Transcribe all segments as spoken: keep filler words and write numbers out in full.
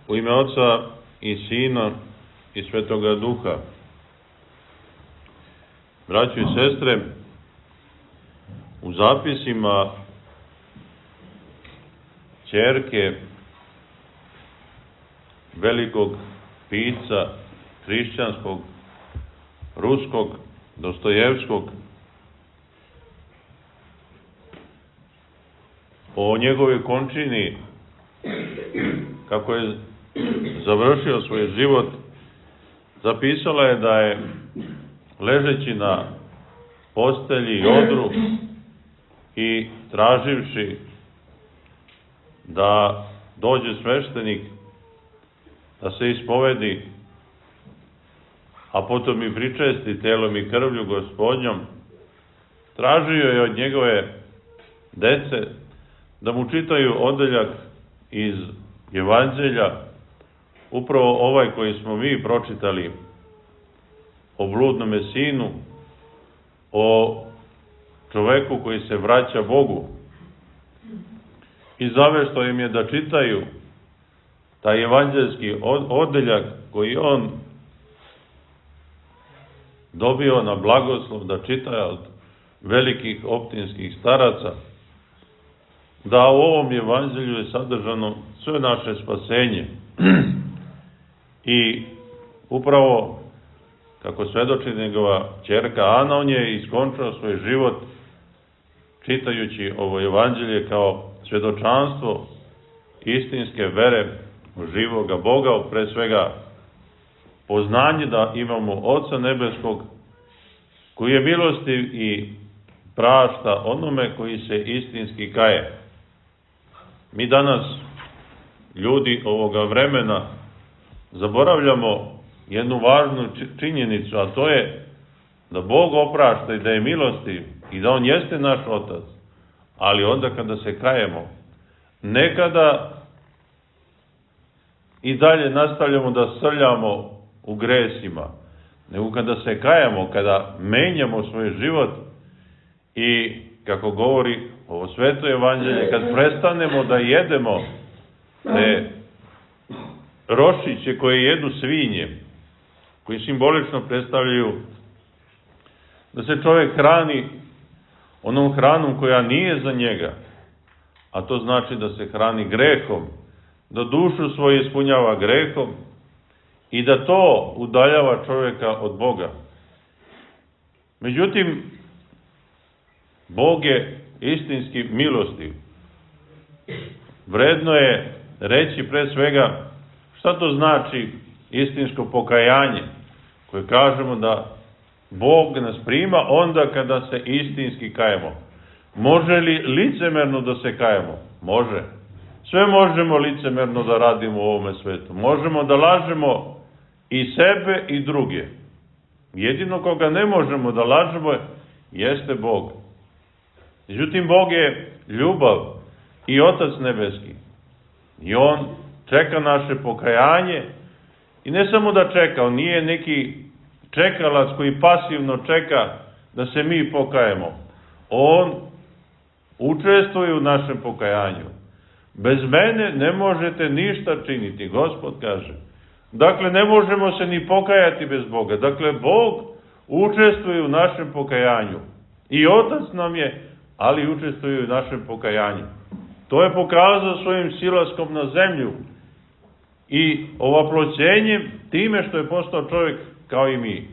U ime Oca i Sina i Svetoga Duha. Braćo i sestre, u zapisima ćerke velikog pisca hrišćanskog, ruskog, Dostojevskog, o njegovoj končini, kako je završio svoj život, zapisala je da je, ležeći na postelji i odru i traživši da dođe sveštenik, da se ispovedi, a potom i pričesti telom i krvlju Gospodnjom, tražio je od njegove dece da mu čitaju odeljak iz Evanđelja, upravo ovaj koji smo mi pročitali, o bludnome sinu, o čoveku koji se vraća Bogu. I zavešto im je da čitaju taj evanđelski odeljak koji on dobio na blagoslov da čita od velikih optinskih staraca, da u ovom evanđelju je sadržano sve naše spasenje. I upravo, kako svedoči njegova ćerka Ana, on je iskončao svoj život čitajući ovo evanđelje kao svedočanstvo istinske vere u živoga Boga, pre svega poznanje da imamo Oca nebeskog, koji je milostiv i prašta onome koji se istinski kaje. Mi danas, ljudi ovoga vremena, zaboravljamo jednu važnu činjenicu, a to je da Bog oprašta i da je milostiv i da On jeste naš Otac, ali onda kada se kajemo, nekada i dalje nastavljamo da srljamo u gresima, nego kada se kajemo, kada menjamo svoj život i, kako govori ovo sveto evanđelje, kad prestanemo da jedemo te rošiće koje jedu svinje, koji simbolično predstavljaju da se čovjek hrani onom hranom koja nije za njega, a to znači da se hrani grehom, da dušu svoju ispunjava grehom i da to udaljava čovjeka od Boga. Međutim, Bog je istinski milostiv. Vredno je reći pre svega šta to znači istinsko pokajanje, koje kažemo da Bog nas prima onda kada se istinski kajemo. Može li licemerno da se kajemo? Može. Sve možemo licemerno da radimo u ovome svetu. Možemo da lažemo i sebe i druge. Jedino koga ne možemo da lažemo jeste Bog. Međutim, Bog je ljubav i Otac nebeski. I On čeka naše pokajanje i ne samo da čeka, On nije neki čekalac koji pasivno čeka da se mi pokajemo. On učestvuje u našem pokajanju. Bez mene ne možete ništa činiti, Gospod kaže. Dakle, ne možemo se ni pokajati bez Boga. Dakle, Bog učestvuje u našem pokajanju. I Otac nam je, ali učestvuje u našem pokajanju. To je pokazao svojim silaskom na zemlju i ovaploćenjem time što je postao čovjek kao i mi.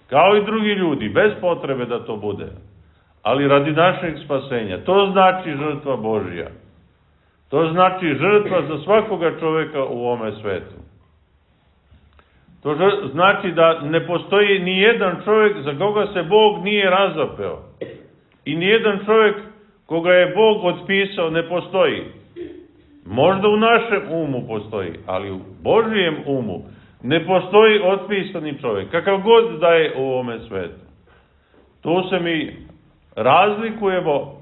Kao i drugi ljudi, bez potrebe da to bude. Ali radi našeg spasenja. To znači žrtva Božja. To znači žrtva za svakoga čovjeka u ovome svetu. To znači da ne postoji ni jedan čovjek za koga se Bog nije razapeo. I ni jedan čovjek koga je Bog otpisao ne postoji. Možda u našem umu postoji, ali u Božijem umu ne postoji otpisani čovjek, kakav god da je u ovome svetu. Tu se mi razlikujemo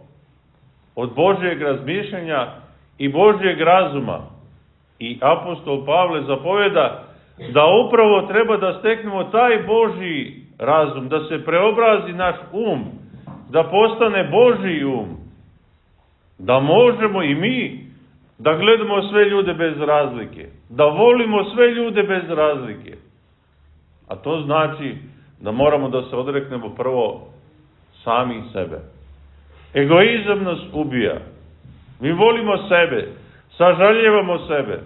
od Božjeg razmišljanja i Božjeg razuma. I apostol Pavle zapoveda da upravo treba da steknemo taj Božji razum, da se preobrazi naš um, da postane Božji um, da možemo i mi da gledamo sve ljude bez razlike, da volimo sve ljude bez razlike. A to znači da moramo da se odreknemo prvo sami sebe. Egoizam nas ubija. Mi volimo sebe, sažaljevamo sebe,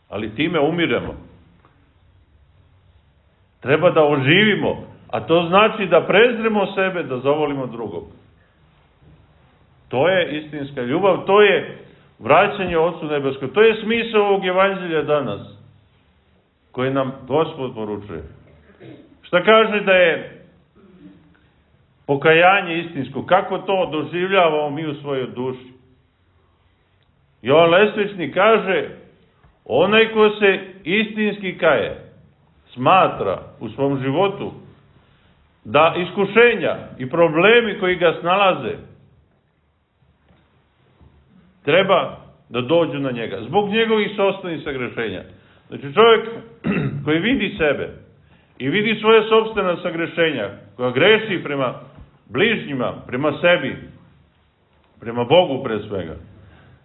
ali time umiremo. Treba da oživimo, a to znači da prezremo sebe, da zavolimo drugog. To je istinska ljubav, to je vraćanje Otcu Nebeskom. To je smisao ovog evanđelja danas, koje nam Gospod poručuje. Šta kaže da je pokajanje istinsko? Kako to doživljavamo mi u svojoj duši? Jovan Lesvičnik kaže, onaj ko se istinski kaje, smatra u svom životu da iskušenja i problemi koji ga snalaze treba da dođu na njega, zbog njegovih sopstvenih sagrešenja. Znači čovjek koji vidi sebe i vidi svoje sopstvena sagrešenja, koja greši prema bližnjima, prema sebi, prema Bogu pre svega.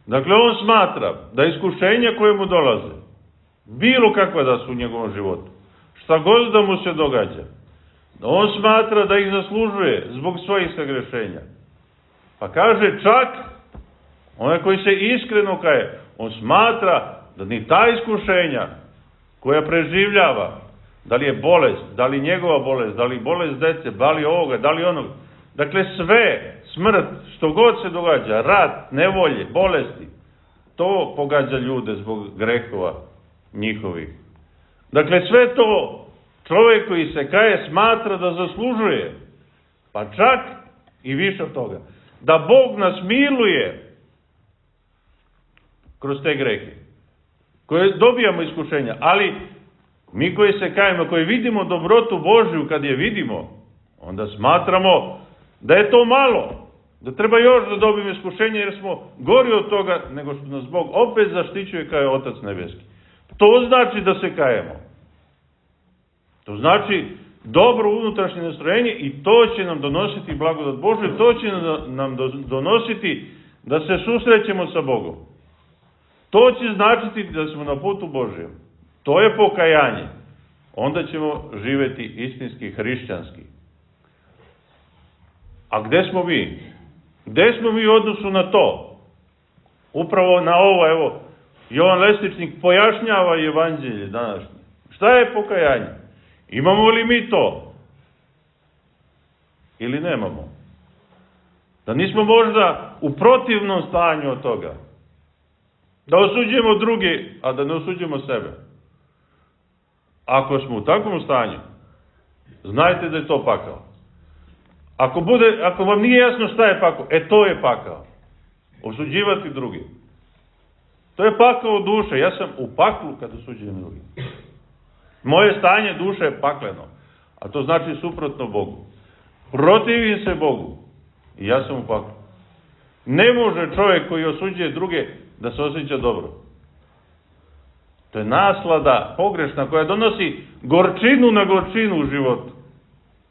Dakle, on smatra da iskušenja koje mu dolaze, bilo kakva da su u njegovom životu, šta god da mu se događa, on smatra da ih zaslužuje zbog svojih sagrešenja. Pa kaže čak, onaj koji se iskreno kaje, on smatra da ni ta iskušenja koja preživljava, da li je bolest, da li njegova bolest, da li bolest dece, da li ovoga, da li onoga, dakle sve, smrt, što god se događa, rat, nevolje, bolesti, to pogađa ljude zbog grehova njihovih. Dakle, sve to čovjek koji se kaje smatra da zaslužuje, pa čak i više od toga, da Bog nas miluje kroz te grehe, koje dobijamo iskušenja, ali mi koji se kajemo, koji vidimo dobrotu Božju, kad je vidimo, onda smatramo da je to malo, da treba još da dobijemo iskušenje, jer smo gori od toga nego što nas Bog opet zaštićuje kao je Otac Nebeski. To znači da se kajemo. To znači dobro unutrašnje nastrojenje i to će nam donositi blagodat Božju, to će nam donositi da se susrećemo sa Bogom. To će značiti da smo na putu Božjem. To je pokajanje. Onda ćemo živjeti istinski hrišćanski. A gde smo mi? Gde smo mi u odnosu na to? Upravo na ovo, evo, Jovan Lesvičnik pojašnjava evanđelje današnje. Šta je pokajanje? Imamo li mi to? Ili nemamo? Da nismo možda u protivnom stanju od toga. Da osuđujemo druge, a da ne osuđujemo sebe. Ako smo u takvom stanju, znajte da je to pakao. Ako, bude, ako vam nije jasno šta je pakao, e to je pakao. Osuđivati drugi. To je pakao duše. Ja sam u paklu kad osuđujem drugi. Moje stanje duše je pakleno. A to znači suprotno Bogu. Protivim se Bogu. I ja sam u paklu. Ne može čovjek koji osuđuje druge da se osjeća dobro. To je naslada pogrešna koja donosi gorčinu na gorčinu u životu.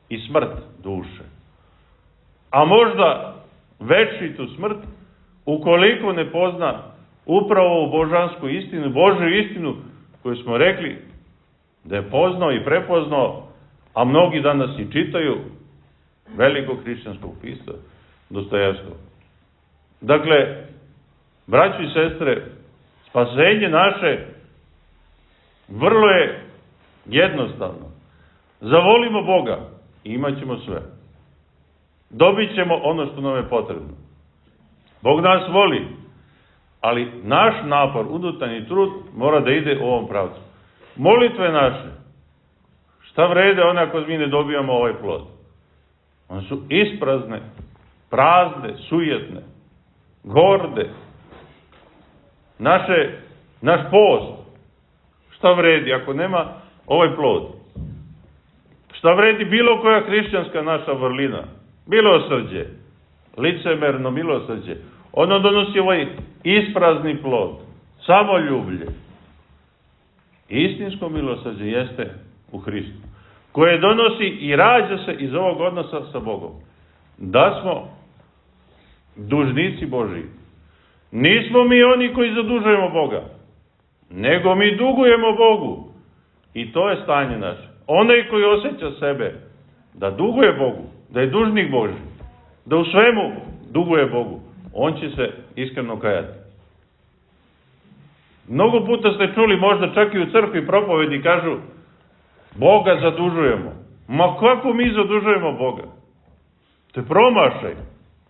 I smrt duše. A možda večitu smrt ukoliko ne pozna upravo ovu božansku istinu, Božju istinu koju smo rekli da je poznao i prepoznao, a mnogi danas i čitaju velikog hrišćanskog pisca Dostojevskog. Dakle, braćo i sestre, spasenje naše vrlo je jednostavno. Zavolimo Boga i imat ćemo sve. Dobit ćemo ono što nam je potrebno. Bog nas voli, ali naš napor, unutarnji trud mora da ide u ovom pravcu. Molitve naše, šta vrede one ako mi ne dobijamo ovaj plod? One su isprazne, prazne, sujetne, gorde. Naše, naš post, šta vredi ako nema ovaj plod? Šta vredi bilo koja hrišćanska naša vrlina? Milosrđe, licemerno milosrđe. Ono donosi ovaj isprazni plod, samoljublje. Istinsko milosrđe jeste u Hristu, koje donosi i rađa se iz ovog odnosa sa Bogom. Da smo dužnici Božiji. Nismo mi oni koji zadužujemo Boga, nego mi dugujemo Bogu. I to je stanje naše. Onaj koji osjeća sebe da duguje Bogu, da je dužnik Božji, da u svemu duguje Bogu, on će se iskreno kajati. Mnogo puta ste čuli, možda čak i u crkvi propovedi kažu, Boga zadužujemo. Ma kako mi zadužujemo Boga? To je promašaj.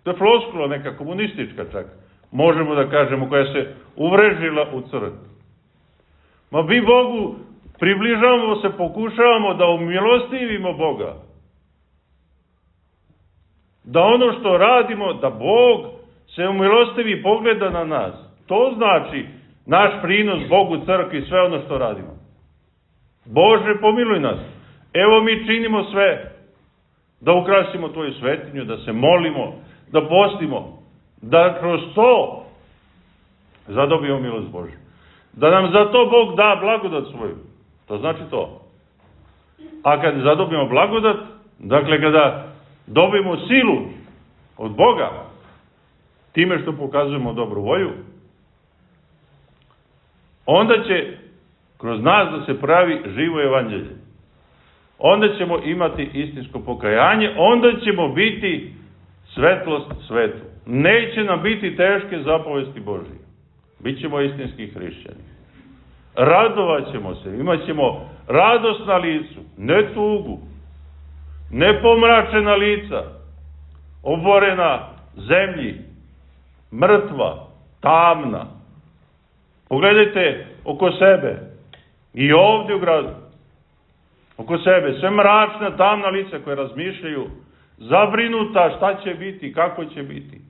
To je floskula neka komunistička čak. Možemo da kažemo, koja se uvrežila u crkvi. Ma mi Bogu približavamo se, pokušavamo da umilostivimo Boga. Da ono što radimo, da Bog se umilostivi i pogleda na nas. To znači naš prinos Bogu, crkvi, sve ono što radimo. Bože, pomiluj nas. Evo mi činimo sve da ukrasimo Tvoju svetinju, da se molimo, da postimo, da kroz to zadobijemo milost Božju. Da nam za to Bog da blagodat svoju. To znači to. A kad zadobijemo blagodat, dakle kada dobijemo silu od Boga, time što pokazujemo dobru volju, onda će kroz nas da se pravi živo evanđelje. Onda ćemo imati istinsko pokajanje, onda ćemo biti svetlost svetu. Neće nam biti teške zapovesti Božije. Bićemo istinski hrišćani. Radovat ćemo se, imat ćemo radost na licu, ne tugu, ne pomračena lica, oborena zemlji, mrtva, tamna. Pogledajte oko sebe i ovdje u gradu. Oko sebe sve mračna, tamna lica koje razmišljaju, zabrinuta šta će biti, kako će biti.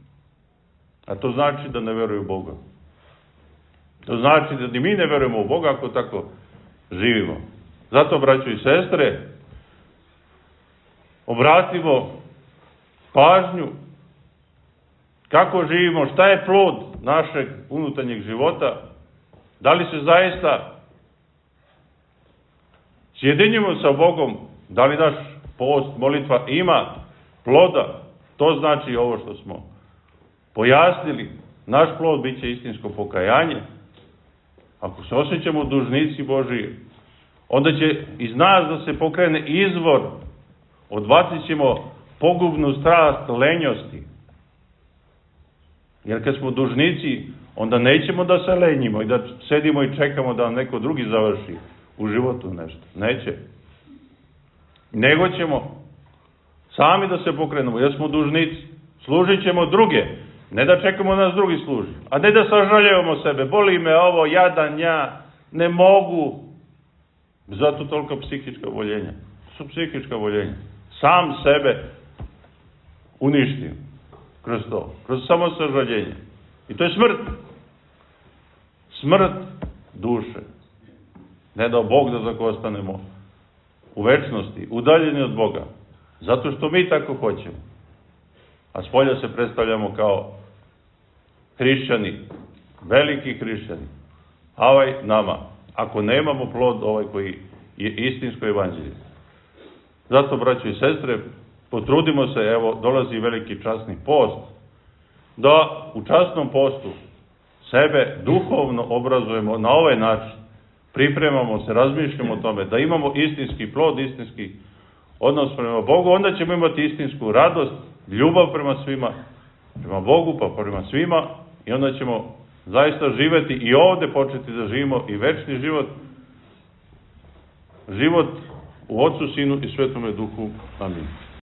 A to znači da ne veruju u Boga. To znači da ni mi ne verujemo u Boga ako tako živimo. Zato, braćo i sestre, obratimo pažnju kako živimo, šta je plod našeg unutarnjeg života, da li se zaista sjedinjimo sa Bogom, da li naš post, molitva ima ploda, to znači ovo što smo pojasnili. Naš plod bit će istinsko pokajanje. Ako se osjećamo dužnici Božiji, onda će iz nas da se pokrene izvor, odbacit ćemo pogubnu strast lenjosti. Jer kad smo dužnici, onda nećemo da se lenjimo i da sedimo i čekamo da nam neko drugi završi u životu nešto. Neće. Nego ćemo sami da se pokrenemo, jer smo dužnici. Služit ćemo druge. Ne da čekamo nas drugi služi. A ne da sažaljevamo sebe. Boli me ovo, jadan ja, ne mogu. Zato toliko psihička oboljenja. Su psihička oboljenja. Sam sebe uništim. Kroz to. Kroz samo sažaljenje. I to je smrt. Smrt duše. Ne dao Bog da tako ostanemo u večnosti, udaljeni od Boga. Zato što mi tako hoćemo. A spolja se predstavljamo kao hrišćani, veliki hrišćani. A ovaj nama, ako nemamo plod ovaj koji je istinsko evanđelje. Zato, braćo i sestre, potrudimo se, evo, dolazi veliki časni post, da u časnom postu sebe duhovno obrazujemo na ovaj način, pripremamo se, razmišljamo o tome, da imamo istinski plod, istinski odnos prema Bogu, onda ćemo imati istinsku radost, ljubav prema svima, prema Bogu, pa prema svima, i onda ćemo zaista živeti i ovde početi da živimo i večni život, život u Otcu, Sinu i Svetome Duhu. Amin.